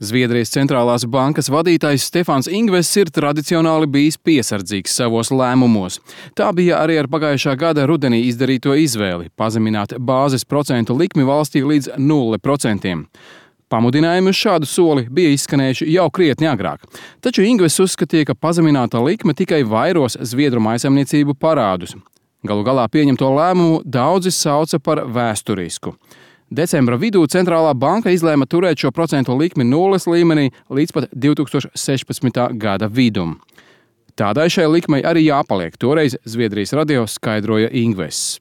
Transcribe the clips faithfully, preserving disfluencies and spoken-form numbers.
Zviedrijas centrālās bankas vadītājs Stefans Ingvess ir tradicionāli bijis piesardzīgs savos lēmumos. Tā bija arī ar pagājušā gada rudenī izdarīto izvēli – pazemināt bāzes procentu likmi valstī līdz nulle procentiem. Pamudinājumi uz šādu soli bija izskanējuši jau krietni agrāk. Taču Ingvess uzskatīja, ka pazemināta likme tikai vairos zviedru mājsaimniecību parādus. Galu galā pieņemto lēmumu daudzi sauca par vēsturisku. Decembra vidū centrālā banka izlēma turēt šo procentu likmi nulles līmenī līdz pat divi tūkstoši sešpadsmitā gada vidum. Tādai šai likmei arī jāpaliek, toreiz Zviedrijas radio skaidroja Ingvess.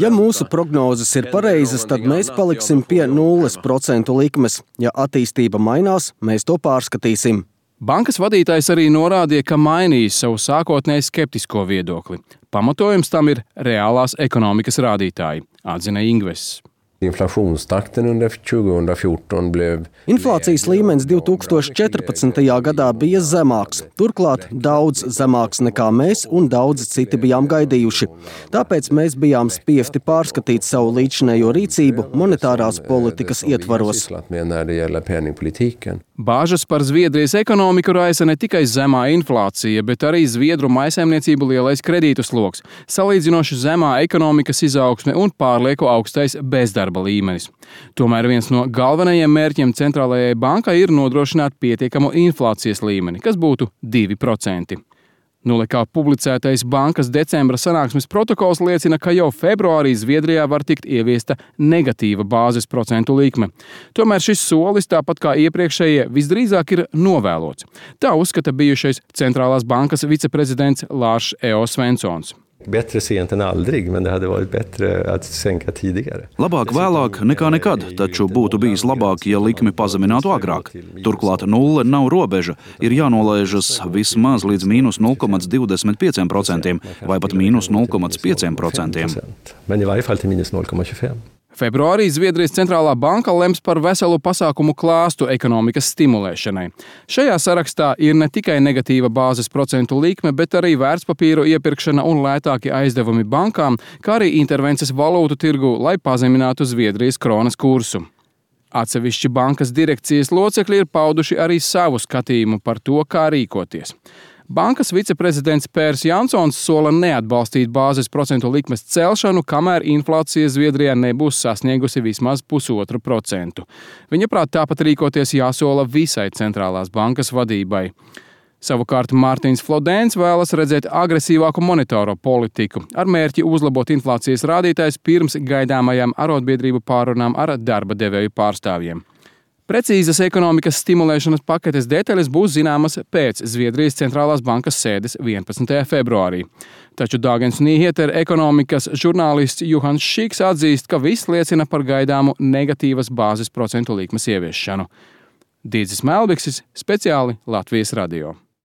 Ja mūsu prognozes ir pareizas, tad mēs paliksim pie nulles procentu likmes. Ja attīstība mainās, mēs to pārskatīsim. Bankas vadītājs arī norādīja, ka mainīs savu sākotnēji skeptisko viedokli. Pamatojums tam ir reālās ekonomikas rādītāji, atzina Ingvess. Inflācijas līmenis divi tūkstoši četrpadsmitajā gadā bija zemāks, turklāt daudz zemāks nekā mēs un daudzi citi bijām gaidījuši. Tāpēc mēs bijām spiesti pārskatīt savu līdzinējo rīcību monetārās politikas ietvaros. Bāžas par Zviedrijas ekonomiku raisa ne tikai zemā inflācija, bet arī zviedru mājsaimniecību lielais kredītu sloks, salīdzinoši zemā ekonomikas izaugsme un pārlieku augstais bezdarba līmenis. Tomēr viens no galvenajiem mērķiem centrālajai bankai ir nodrošināt pietiekamu inflācijas līmeni, kas būtu divi procenti. Nulekā publicētais bankas decembra sanāksmes protokols liecina, ka jau februārī Zviedrijā var tikt ieviesta negatīva bāzes procentu likme. Tomēr šis solis, tāpat kā iepriekšējie, visdrīzāk ir novēlots. Tā uzskata bijušais centrālās bankas viceprezidents Lars E O Svenssons. Bättre sent än aldrig, men det hade varit bättre att sänka tidigare. Labāk vēlāk nekā nekad, taču būtu bijis labāk, ja likmi pazeminātu agrāk. Turklāt nulle nav robeža, ir jānolaižas vismaz līdz mīnus nulle komats divdesmit pieci procenti vai pat mīnus nulle komats pieci procenti. Men i varje fall till minus nulle komma tjugofem. Februārī Zviedrijas centrālā banka lems par veselu pasākumu klāstu ekonomikas stimulēšanai. Šajā sarakstā ir ne tikai negatīva bāzes procentu likme, bet arī vērtspapīru iepirkšana un lētāki aizdevumi bankām, kā arī intervences valūtu tirgu, lai pazeminātu Zviedrijas kronas kursu. Atsevišķi bankas direkcijas locekļi ir pauduši arī savu skatījumu par to, kā rīkoties. Bankas viceprezidents Pērs Jansons sola neatbalstīt bāzes procentu likmes celšanu, kamēr inflācija Zviedrijā nebūs sasniegusi vismaz pusotru procentu. Viņa prāt tāpat rīkoties jāsola visai centrālās bankas vadībai. Savukārt Mārtiņš Flodēns vēlas redzēt agresīvāku monetāro politiku, ar mērķi uzlabot inflācijas rādītājs pirms gaidāmajām arotbiedrību pārunām ar darba devēju pārstāvjiem. Precīzas ekonomikas stimulēšanas paketes detaļas būs zināmas pēc Zviedrijas centrālās bankas sēdes vienpadsmitajā februārī. Taču Dagens Nyheter ekonomikas žurnālists Juhans Šiks atzīst, ka viss liecina par gaidāmu negatīvas bāzes procentu likmes ieviešanu. Dīdzis Melbiksis, speciāli Latvijas radio.